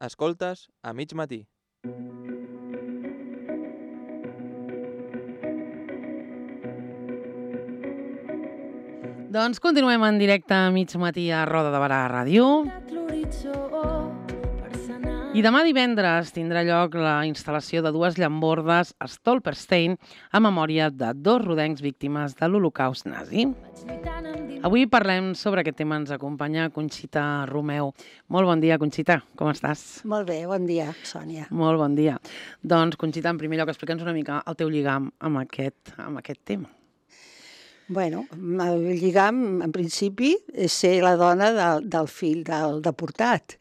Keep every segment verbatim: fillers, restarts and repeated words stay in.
Escoltes a mig matí. Doncs continuem en directe a mig matí a Roda de Barà Ràdio. I demà divendres tindrà lloc la instal·lació de dues llambordes a Stolperstein a memòria de dos rodencs víctimes de l'Holocaust nazi. Avui parlem sobre aquest tema. Ens acompanya Conxita Romeu. Molt bon dia, Conxita. Com estàs? Molt bé, bon dia, Sònia. Molt bon dia. Doncs, Conxita, en primer lloc, explica'ns una mica el teu lligam amb aquest, amb aquest tema. Bueno, el lligam, en principi, és ser la dona del, del fill del deportat.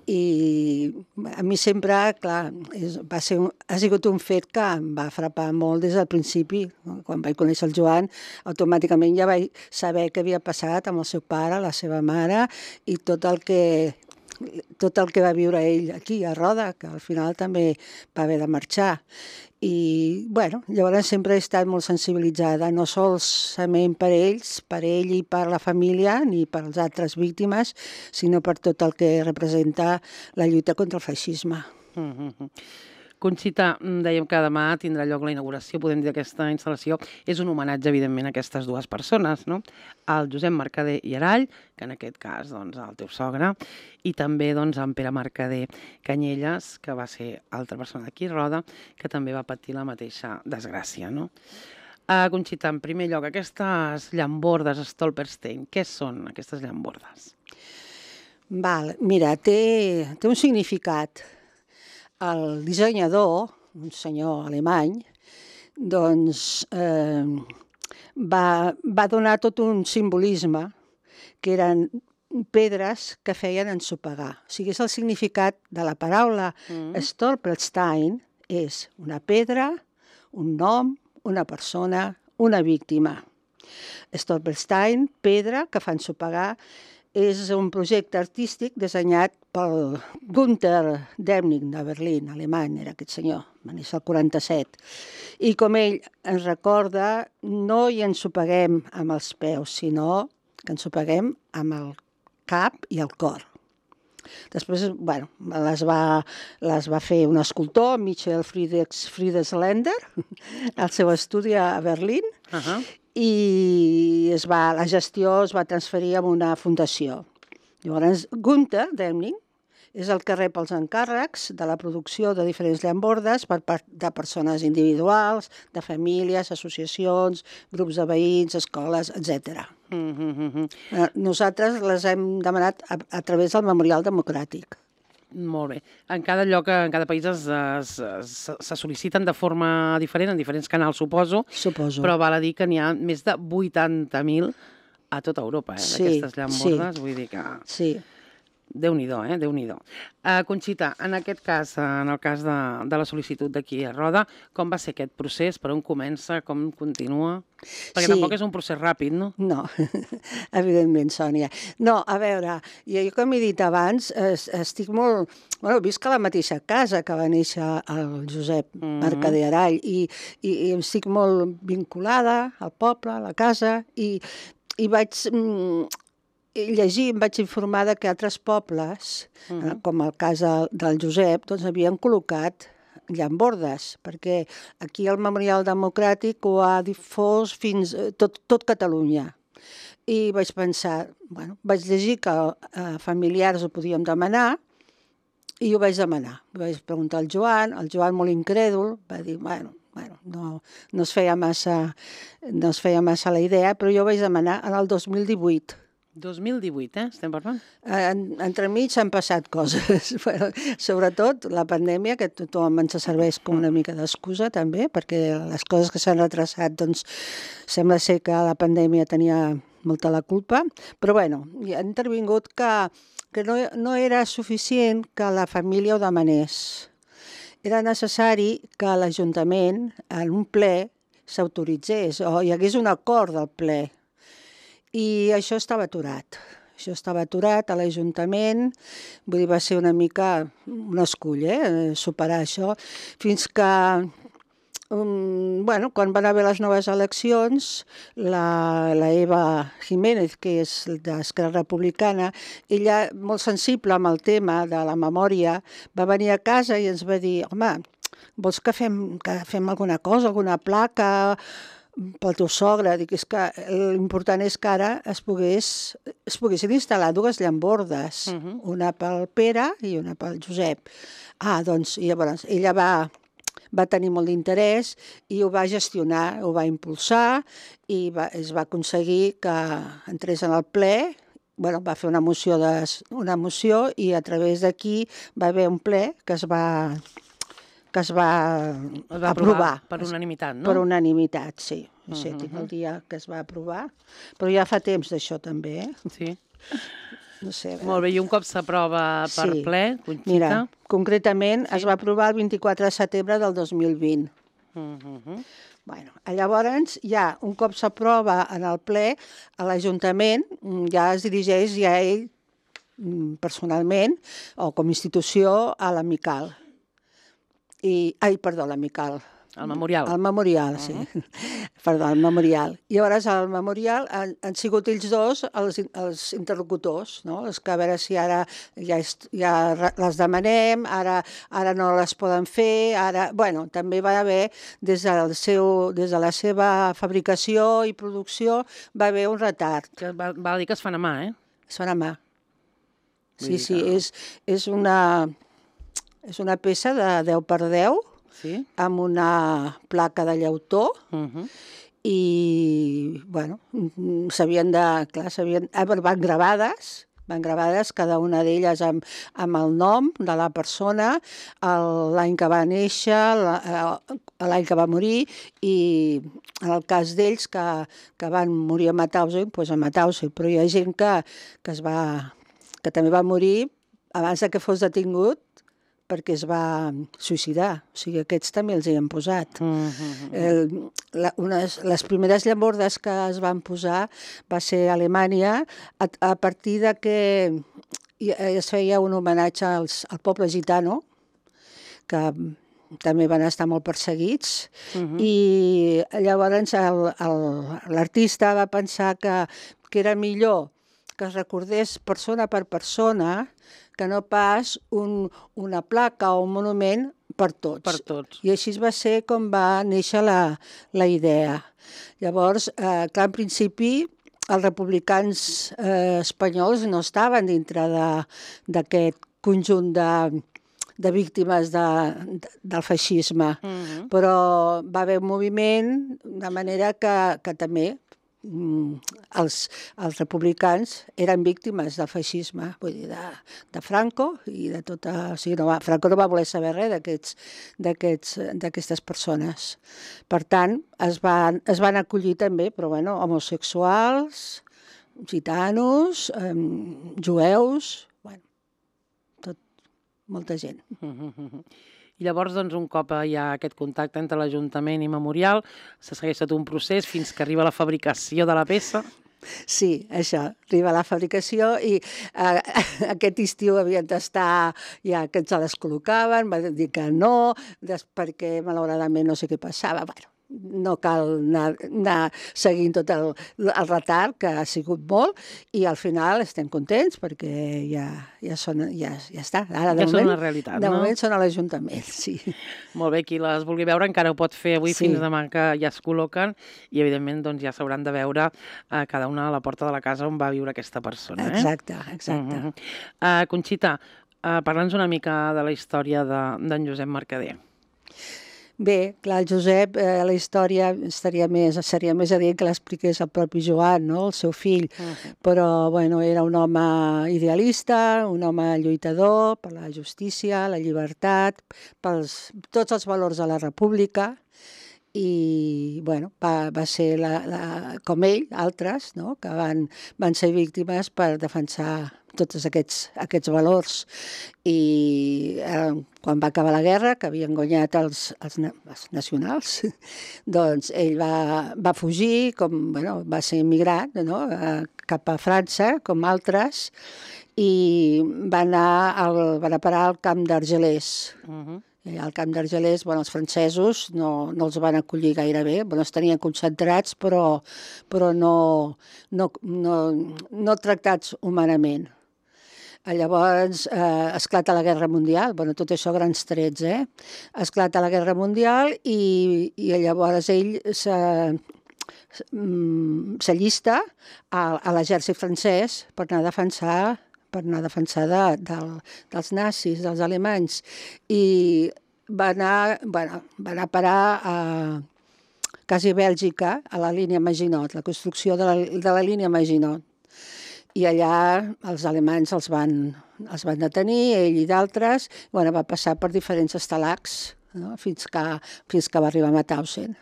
I a mi sempre, clar, és, va ser un, ha sigut un fet que em va frapar molt des del principi. Quan vaig conèixer el Joan, automàticament ja vaig saber què havia passat amb el seu pare, la seva mare, i tot el que tot el que va viure ell aquí a Roda, que al final també va haver de marxar. I, bueno, llavors sempre he estat molt sensibilitzada, no solament per ells, per ell i per la família, ni per les altres víctimes, sinó per tot el que representa la lluita contra el feixisme. Mm-hmm. Conxita, dèiem que demà tindrà lloc la inauguració, podem dir, d'aquesta instal·lació. És un homenatge, evidentment, a aquestes dues persones, no? El Josep Mercader i Arall, que en aquest cas, doncs, el teu sogre, i també, doncs, en Pere Mercader Canyelles, que va ser altra persona d'aquí, Roda, que també va patir la mateixa desgràcia, no? Uh, Conxita, en primer lloc, aquestes llambordes Stolperstein, què són aquestes llambordes? Val, mira, té, té un significat. El dissenyador, un senyor alemany, doncs eh, va, va donar tot un simbolisme que eren pedres que feien ensopegar. O sigui, és el significat de la paraula mm. Stolperstein, és una pedra, un nom, una persona, una víctima. Stolperstein, pedra que fa ensopegar, és un projecte artístic dissenyat pel Günther Demnig de Berlín, alemany, era aquest senyor, va néixer el quaranta-set. I com ell ens recorda, no hi ensopeguem amb els peus, sinó que ensopeguem amb el cap i el cor. Després, bueno, les va, les va fer un escultor, Michael Friedländer, al seu estudi a Berlín, uh-huh. i es va, la gestió es va transferir a una fundació. Llavors, Günther Demnig és el que rep els encàrrecs de la producció de diferents llambordes per part de persones individuals, de famílies, associacions, grups de veïns, escoles, etcètera. Mm-hmm. Nosaltres les hem demanat a, a través del Memorial Democràtic. Molt bé. En cada lloc, en cada país es, es, es, se sol·liciten de forma diferent, en diferents canals, suposo. Suposo. Però val a dir que n'hi ha més de vuitanta mil a tota Europa, eh, sí, d'aquestes llambordes. Sí. Vull dir que... Sí. Déu-n'hi-do, eh? Déu-n'hi-do. Uh, Conxita, en aquest cas, en el cas de, de la sol·licitud d'aquí a Roda, com va ser aquest procés? Per on comença? Com continua? Perquè sí. Tampoc és un procés ràpid, no? No, evidentment, Sònia. No, a veure, jo com he dit abans, estic molt... Bueno, visc a la mateixa casa que va néixer el Josep mm-hmm. Mercader Arall i, i, i estic molt vinculada al poble, a la casa, i, i vaig... llegir, em vaig informar que altres pobles, uh-huh. com el cas del Josep, doncs havien col·locat llambordes, perquè aquí el Memorial Democràtic ho ha difós fins tot, tot Catalunya. I vaig pensar, bueno, vaig llegir que eh, familiars ho podíem demanar, i ho vaig demanar. Vaig preguntar al Joan, el Joan molt incrèdul, va dir, bueno, bueno no, no, es feia massa, no es feia massa la idea, però jo vaig demanar en el dos mil divuit. dos mil divuit, eh? Estem parlant? En, entremig han passat coses, però, sobretot la pandèmia, que tothom ens serveix com una mica d'excusa també, perquè les coses que s'han retrasat, doncs sembla ser que la pandèmia tenia molta la culpa, però bueno, ha intervingut que, que no, no era suficient que la família ho demanés. Era necessari que l'Ajuntament en un ple s'autoritzés o hi hagués un acord del ple. I això estava aturat. Això estava aturat a l'Ajuntament, vull dir, va ser una mica un escull, eh, superar això, fins que um, bueno, quan van haver les noves eleccions, la, la Eva Jiménez, que és d'Esquerra Republicana, ella, molt sensible amb el tema de la memòria, va venir a casa i ens va dir, home, vols que fem, que fem alguna cosa, alguna placa pel teu sogre? Dic, és que l'important és que ara es, pogués, es poguessin instal·lar dues llambordes, uh -huh. una pel Pere i una pel Josep. Ah, doncs, i llavors ella va, va tenir molt d'interès i ho va gestionar, ho va impulsar i va, es va aconseguir que entrés en el ple. Bueno, va fer una moció, de, una moció i a través d'aquí va haver un ple que es va... que es va, es va aprovar. Per unanimitat, no? Per unanimitat, sí. No sé, uh -huh. tinc el dia que es va aprovar, però ja fa temps d'això també, eh? Sí. No sé. Molt bé, i un cop s'aprova per sí. ple, Conxita? Mira, concretament sí. es va aprovar el vint-i-quatre de setembre del dos mil vint. Uh -huh. Bueno, llavors, ja, un cop s'aprova en el ple, a l'Ajuntament ja es dirigeix ja ell personalment o com a institució a l'Amical. I, ai, perdó, l'Amical. El Memorial. El Memorial, sí. Uh -huh. Perdó, el Memorial. I llavors al Memorial han, han sigut ells dos els, els interlocutors, no? Els que a veure si ara ja, ja les demanem, ara, ara no les poden fer, ara... Bueno, també va haver, des, del seu, des de la seva fabricació i producció, va haver un retard. Que va, va dir que es fan a mà, eh? Es fan a mà. Sí, sí, és, és una... És una peça de deu per deu, sí? Amb una placa de llautó, uh -huh. i, bueno, s'havien de... Clar, s'havien... Van gravades, van gravades, cada una d'elles amb, amb el nom de la persona, l'any que va néixer, l'any que va morir, i en el cas d'ells que, que van morir a Mauthausen, doncs a Mauthausen, però hi ha gent que, que, es va, que també va morir abans de que fos detingut, perquè es va suïcidar. O sigui, aquests també els hi han posat. Uh -huh. El, la, unes, les primeres llambordes que es van posar va ser a Alemanya, a, a partir de que es feia un homenatge als, al poble gitano, que també van estar molt perseguits, uh -huh. i llavors l'artista va pensar que, que era millor que es recordés persona per persona que no pas un, una placa o un monument per tots. Per tots. I així va ser com va néixer la, la idea. Llavors, eh, clar, en principi, els republicans eh, espanyols no estaven dintre d'aquest conjunt de, de víctimes de, de, del feixisme, uh-huh. però va haver un moviment de manera que, que també Els, els republicans eren víctimes del feixisme, vull dir, de, de Franco i de tota... O sigui, no va, Franco no va voler saber res d'aquestes persones. Per tant, es van, es van acollir també, però bueno, homosexuals, gitanos, eh, jueus, bueno, tot, molta gent. I llavors, doncs, un cop hi ha aquest contacte entre l'Ajuntament i Memorial, se segueix tot un procés fins que arriba la fabricació de la peça. Sí, això, arriba la fabricació i eh, aquest estiu havien d'estar ja que ens les col·locaven, va dir que no, perquè malauradament no sé què passava. Bueno, no cal anar, anar seguint tot el, el retard, que ha sigut molt, i al final estem contents perquè ja, ja, són, ja, ja està. Ara, de ja moment, són una realitat, de no? De moment són a l'Ajuntament, sí. Molt bé, qui les vulgui veure encara ho pot fer avui sí. Fins demà que ja es col·loquen i evidentment doncs, ja s'hauran de veure a cada una a la porta de la casa on va viure aquesta persona. Eh? Exacte, exacte. Uh -huh. uh, Conxita, uh, parla'ns una mica de la història d'en Josep Mercader. Bé, clar, el Josep, eh, la història estaria més, seria més adient que l'expliqués el propi Joan, no?, el seu fill, uh-huh. Però, bueno, era un home idealista, un home lluitador per la justícia, la llibertat, pels tots els valors de la república, i, bueno, va, va ser, la, la, com ell, altres, no?, que van, van ser víctimes per defensar tots aquests, aquests valors. I eh, quan va acabar la guerra, que havien guanyat els, els, els nacionals, doncs ell va, va fugir, com, bueno, va ser immigrant, no?, a, cap a França, com altres, i va anar al, van a parar al camp d'Argelers. Uh-huh. I al camp d'Argelers, bueno, els francesos no, no els van acollir gaire bé, bueno, els tenien concentrats, però, però no, no, no, no tractats humanament. Llavors, eh, esclata la Guerra Mundial, bueno, tot això grans trets, eh? Esclata la Guerra Mundial i, i llavors ell s'allista a, a l'exèrcit francès per anar a defensar per anar a defensar de, del, dels nazis, dels alemanys. I va anar, bueno, va anar a parar a quasi Bèlgica, a la línia Maginot, la construcció de la, de la línia Maginot. I allà els alemanys els van, els van detenir, ell i d'altres, bueno, va passar per diferents estalacs, no? fins, que, fins que va arribar a Mauthausen.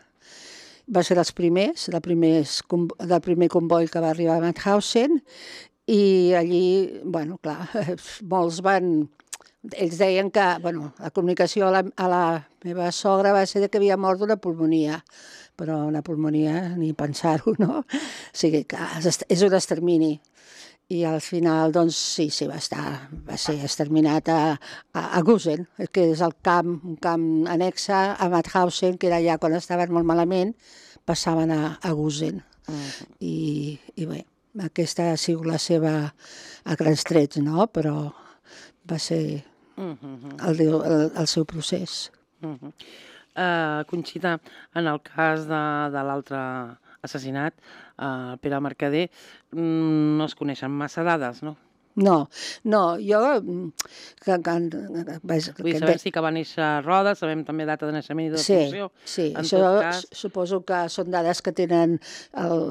Va ser dels primers, del, primers, del primer comboi que va arribar a Mauthausen, i allí, bueno, clar, molts van... Ells deien que, bueno, la comunicació a la, a la meva sogra va ser que havia mort d'una pulmonia, però una pulmonia, ni pensar-ho, no? O sigui que és un extermini. I al final, doncs, sí, sí, va estar, va ser exterminat a, a, a Gusen, que és el camp, un camp annexe a Mauthausen, que era allà quan estaven molt malament, passaven a, a Gusen. Mm. I, I bé, aquesta ha sigut la seva, a grans trets, no? Però va ser el, el, el seu procés. Uh -huh. uh, Conxita, en el cas de, de l'altre assassinat, uh, Pere Mercader, mm, no es coneixen massa dades, no? No, no, jo... Que, que, vaig, Vull saber si que va néixer a Roda, sabem també data de naixement i de defunció. Sí, sí, això cas... suposo que són dades que tenen el,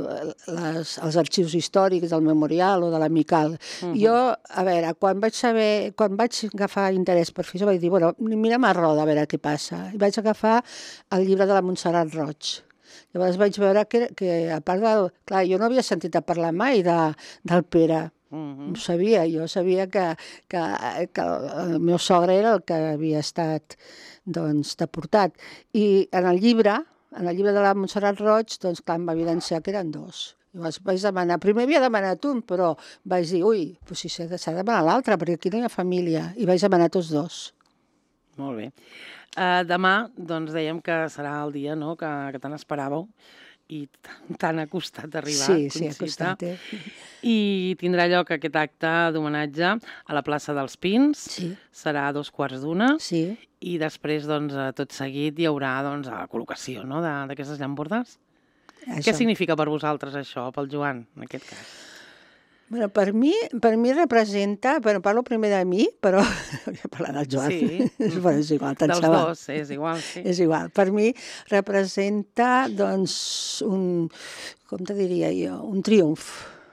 les, els arxius històrics del Memorial o de l'Amical. Uh -huh. Jo, a veure, quan vaig saber, quan vaig agafar interès per fer això, vaig dir, bueno, mirem a Roda a veure què passa. I vaig agafar el llibre de la Montserrat Roig. Llavors vaig veure que, que a part del... Clar, jo no havia sentit a parlar mai de, del Pere. Uh-huh. Ho sabia, jo sabia que, que, que el meu sogre era el que havia estat doncs, deportat. I en el llibre, en el llibre de la Montserrat Roig, doncs clar, em va evidenciar que eren dos. Llavors vaig demanar, primer havia demanat un, però vaig dir, ui, doncs si s'ha de, de demanar l'altre, perquè aquí no hi ha família. I vaig demanar tots dos. Molt bé. Uh, demà, doncs, dèiem que serà el dia, no?, que, que tant esperàveu i tan ha costat d'arribar. Sí, sí, ha costat, eh? I tindrà lloc aquest acte d'homenatge a la plaça dels Pins. Sí. Serà a dos quarts d'una. Sí. I després, doncs, tot seguit hi haurà, doncs, la col·locació, no?, d'aquestes llambordes. Això. Què significa per vosaltres això, pel Joan, en aquest cas? Bueno, per mi, per mi representa, bueno, parlo primer de mi, però voy a parlar del Joan. Sí. Bueno, és igual, tant Dels xaval. dos, és igual, sí. És igual. Per mi representa, doncs, un, com te diria jo, un triomf,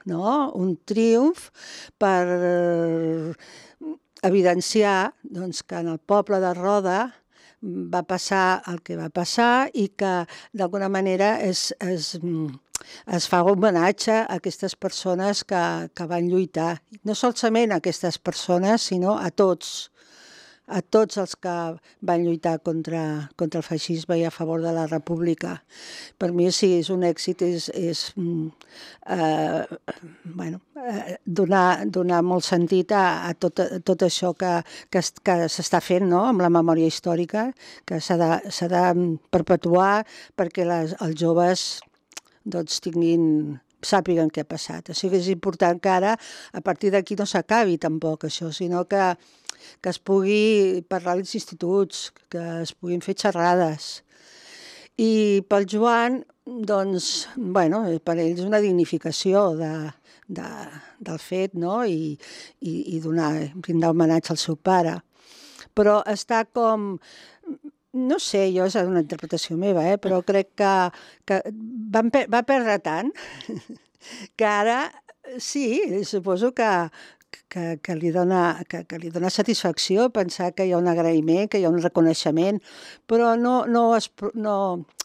no? Un triomf per evidenciar, doncs, que en el poble de Roda va passar el que va passar i que, d'alguna manera, és... és es fa homenatge a aquestes persones que, que van lluitar. No solament a aquestes persones, sinó a tots, a tots els que van lluitar contra, contra el feixisme i a favor de la república. Per mi sí, és un èxit, és, és eh, bueno, eh, donar, donar molt sentit a, a, tot, a tot això que, que, que s'està fent, no?, amb la memòria històrica, que s'ha de, s'ha de perpetuar perquè les, els joves doncs tinguin, sàpiguen què ha passat. O sigui, és important que ara, a partir d'aquí, no s'acabi tampoc això, sinó que, que es pugui parlar als instituts, que es puguin fer xerrades. I pel Joan, doncs, bueno, per ell és una dignificació de, de, del fet, no?, i, i, i donar, brindar homenatge al seu pare. Però està com... No sé, jo és una interpretació meva, eh? Però crec que, que van, va perdre tant que ara sí, suposo que, que, que, li dona, que, que li dona satisfacció pensar que hi ha un agraïment, que hi ha un reconeixement, però no, no, es, no,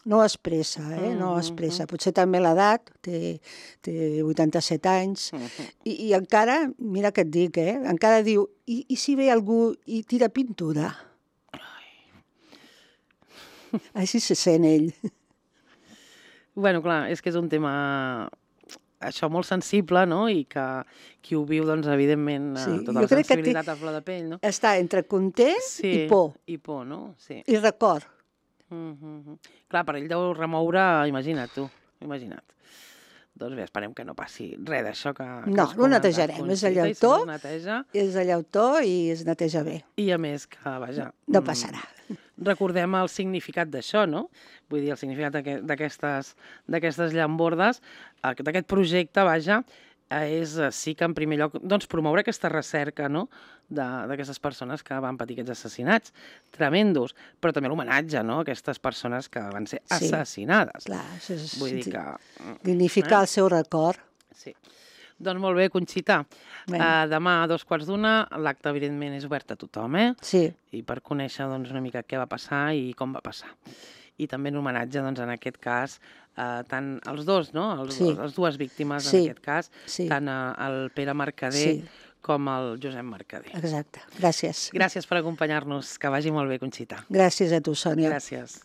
no ho expressa, eh? No ho expressa. Potser també l'edat, té, té vuitanta-set anys, i, i encara, mira què et dic, eh? Encara diu, i, i si ve algú i tira pintura? Així se sent ell. Bueno, clar, és que és un tema això molt sensible, no? I que qui ho viu, doncs, evidentment, Sí, tota jo la crec que sensibilitat a flor de pell, no? Està entre content Sí, i por, i por, no? Sí. i record. Mm -hmm. Clar, per ell deu remoure, imagina't tu, imagina't. Doncs bé, esperem que no passi res d'això que, que No, has ho comentat, netejarem, és de Conxita, i si llautó. no es neteja, És de llautó i es neteja bé. i a més que, vaja... No mm, passarà. recordem el significat d'això, no? Vull dir, el significat d'aquest- d'aquestes d'aquestes llambordes, eh, d'aquest projecte, vaja, eh, és eh, sí que en primer lloc doncs, promoure aquesta recerca, no?, de- d'aquestes persones que van patir aquests assassinats tremendos, però també l'homenatge, no?, a aquestes persones que van ser Sí. assassinades. Clar, això és Vull dir di- que... mm, dignificar Eh? el seu record. Sí. Doncs molt bé, Conxita. Bé. Uh, demà a dos quarts d'una, l'acte, evidentment, és obert a tothom, eh? Sí, I per conèixer doncs, una mica què va passar i com va passar. I també en homenatge, doncs, en aquest cas, eh, tant els dos, no? Els, Sí. dos, les dues víctimes, Sí. en aquest cas, Sí. tant eh, el Pere Mercader Sí. com el Josep Mercader. exacte. Gràcies. Gràcies per acompanyar-nos. Que vagi molt bé, Conxita. Gràcies a tu, Sònia. Gràcies.